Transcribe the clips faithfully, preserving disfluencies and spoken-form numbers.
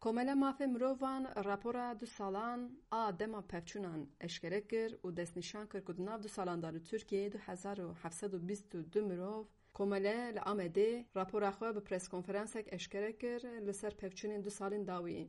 Komele Mafê Mirovan rapora du salan a dema pevçûnan eşkere kir û destnîşan kir ku di nav du salan de li Tirkiyeyê du hezar û heft sed û bîst û du mirov Komele li Amedê rapora xwe bi preskonferansek eşkere kir li ser pevçûnên du salên dawî.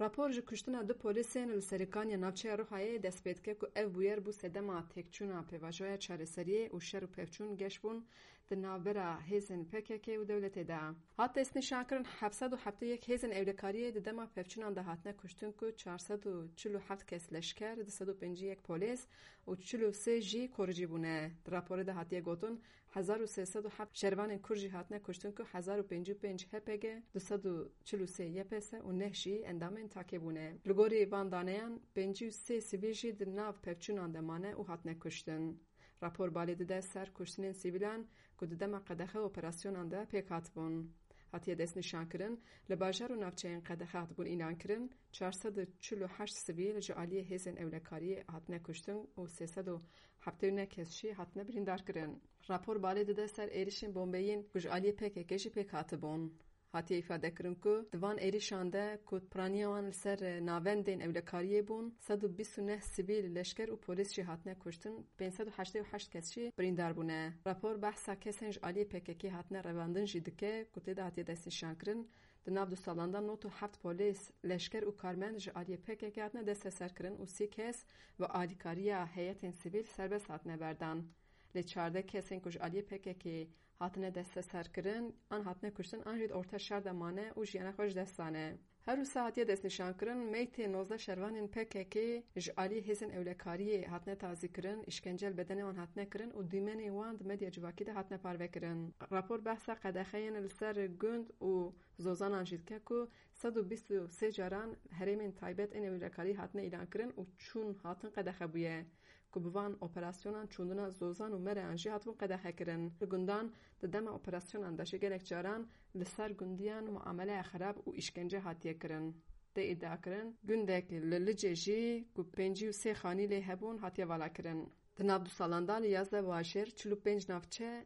Rapor ji kuştina du polîsên li Serîkaniya navçeya Rihayê dest pê dike ku ev bûyer bû sedema têkçûna pêvajoya çareseriyê û şer û pevçûn geş bûn di navbera hêzên P K K û dewletê de. Hat destnîşankirin, heft sed û heftê yek hêzên ewlekariyê di dema pevçûnan de hatine kuştin ku çar sed û çil û heft kes leşker, du sed û pêncî yek polîs û çil û sê jî koricî bûne. Di raporê de hatiye gotin, hezar û sê sed û heft şervanên Kurd jî hatine kuştin ku hezar û pêncî û pênc H P G, du sed û çil û sê Y P S û neh jî endamên takê bûne. Li gorî van daneyan, pêncî û sê sivîl jî di nav pevçûnan de mane û hatine kuştin. Rapor balê dide ser kuştinên sivîlan ku di dema qedexe operasyonan de pêk hatibûn. Hatiye destnîşankirin, li bajar û navçeyên qedexe hatibûn îlankirin, çar sed û çil û heşt sivîl ji aliyê hêzên ewlekariyê hatine kuştin û sê sed û heftê û neh kes jî hatine birîndarkirin. Rapor balê dide ser êrişên bombeyîn ku ji aliyê P K K jî pêk hatibûn. Hatiye îfadekirin ku di van êrişan de ku piraniya wan li ser navendên ewlekariyê bûn, sed û bîst û neh sivîl, leşker û polîs jî hatine kuştin, pênc sed û heştê û heşt kes jî birîndar bûne. Rapor behsa kesên ji aliyê P K K hatine revandin jî dike ku tê de hatiye destnîşankirin, di nav du salan de nod û heft polîs, leşker û karmend ji aliyê P K K hatine desteserkirin û sî kes bi alîkariya heyetên sivîl serbest hatine berdan. Lê çardeh kesên ku ji aliyê P K K hatine desteserkirin, an hatine kuştin, an jî di orta şer de mane û jiyana xwe ji dest dane. Her wisa hatiye destnîşankirin, meytê nozdeh şervanên P K K ji alî hêzên ewlekariyê hatine tazîkirin, îşkence li bedenê wan hatine kirin û dîmenê wan di medya civakî de hatine parvekirin. Rapor behsa qedexeyên li ser gund û zozanan jî dike ku sed û bîst û sê caran herêmên taybet ên ewlekarî hatine îlankirin û çûn hatin qedexe bûye. Ku bi van operasyonan çûndina zozan û mereyan jî hatibûn qedexekirin. Li gundan di dema operasyonan de jî gelek caran li ser gundiyan muameleya xerab û îşkence hatiye kirin. Tê îdiakirin, gundek li Licê jî ku pêncî û sê xanî lê hebûn, hatiye valakirin. Di nav du salan de li yazdeh bajêr, çil û pênc navçe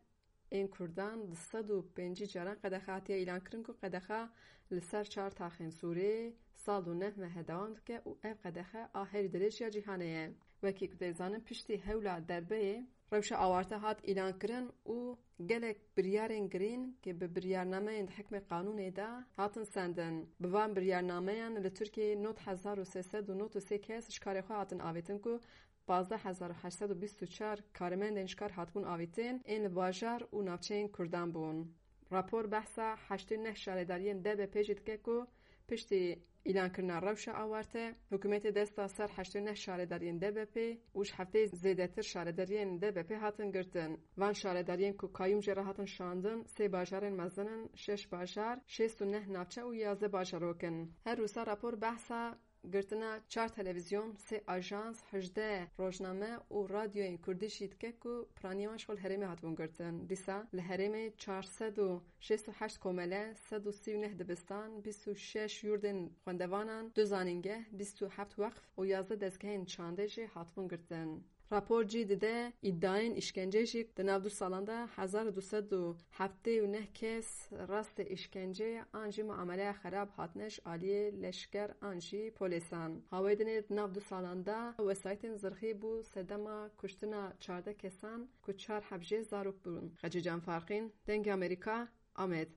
ên Kurdan, di sed û pêncî caran qedexe hatiye îlankirin ku qedexa li ser çar taxên Sûrê sal û neh mehe dewam dike û ev qedexe a herî dirêj ya cîhanê ye. Wekî ku tê zanin, piştî hewla derbeyê rewşa awarte hat îlankirin û gelek biryarên girîn ku bi biryarnameyên di hikmê qanûnê de hatin sendin. Bi van biryarnameyan li Tirkiyeyê nod hezar û sê sed û nod û sê kes ji karê xwe hatin avêtin ku pazdeh hezar û heşt sed û bîst û çar karmendên ji kar hatibûn avêtin, ên li bajar û navçeyên Kurdan bûn. Rapor behsa heştê û neh şaredariyên D B P jî dike ku piştî îlankirina rewşa awarte, hikûmetê dest da ser heştê û neh şaredariyên D B P û ji heftê zêdetir şaredariyên D B P hatin girtin. Van şaredariyên ku kayûm jê re hatin şandin, sê bajarên mezin in, şeş bajar, şêst û neh navçe û yazdeh bajarok in. Her wisa rapor behsa girtina çar televîzyon, sê ajans, hejdeh rojname û radyoyên kurdî jî dike ku piraniya wan ji xwe li herêmê hatibûn girtin. Dîsa li herêmê çar sed û şêst û heşt komele, sed û sî û neh dibistan, bîst û şeş yurdên xwendevanan, du zanîngeh, bîst û heft weqf û yazdeh dezgehên çandê jî hatibûn girtin. Rapor cî dide îdayên îşkencê jî di nav du salan de hezar û du sed û heftê û neh kes rastê îşkencê an jî muameleya xerab hatine ji aliyê leşker an jî polîsan. Hawê dinê di nav du salan de wesayîtên zirxî bû sedema kuştina çardeh kesan ku çar heb jê zarok bûn. Xecîcan Farqîn, Dengê Amerîka, Amed.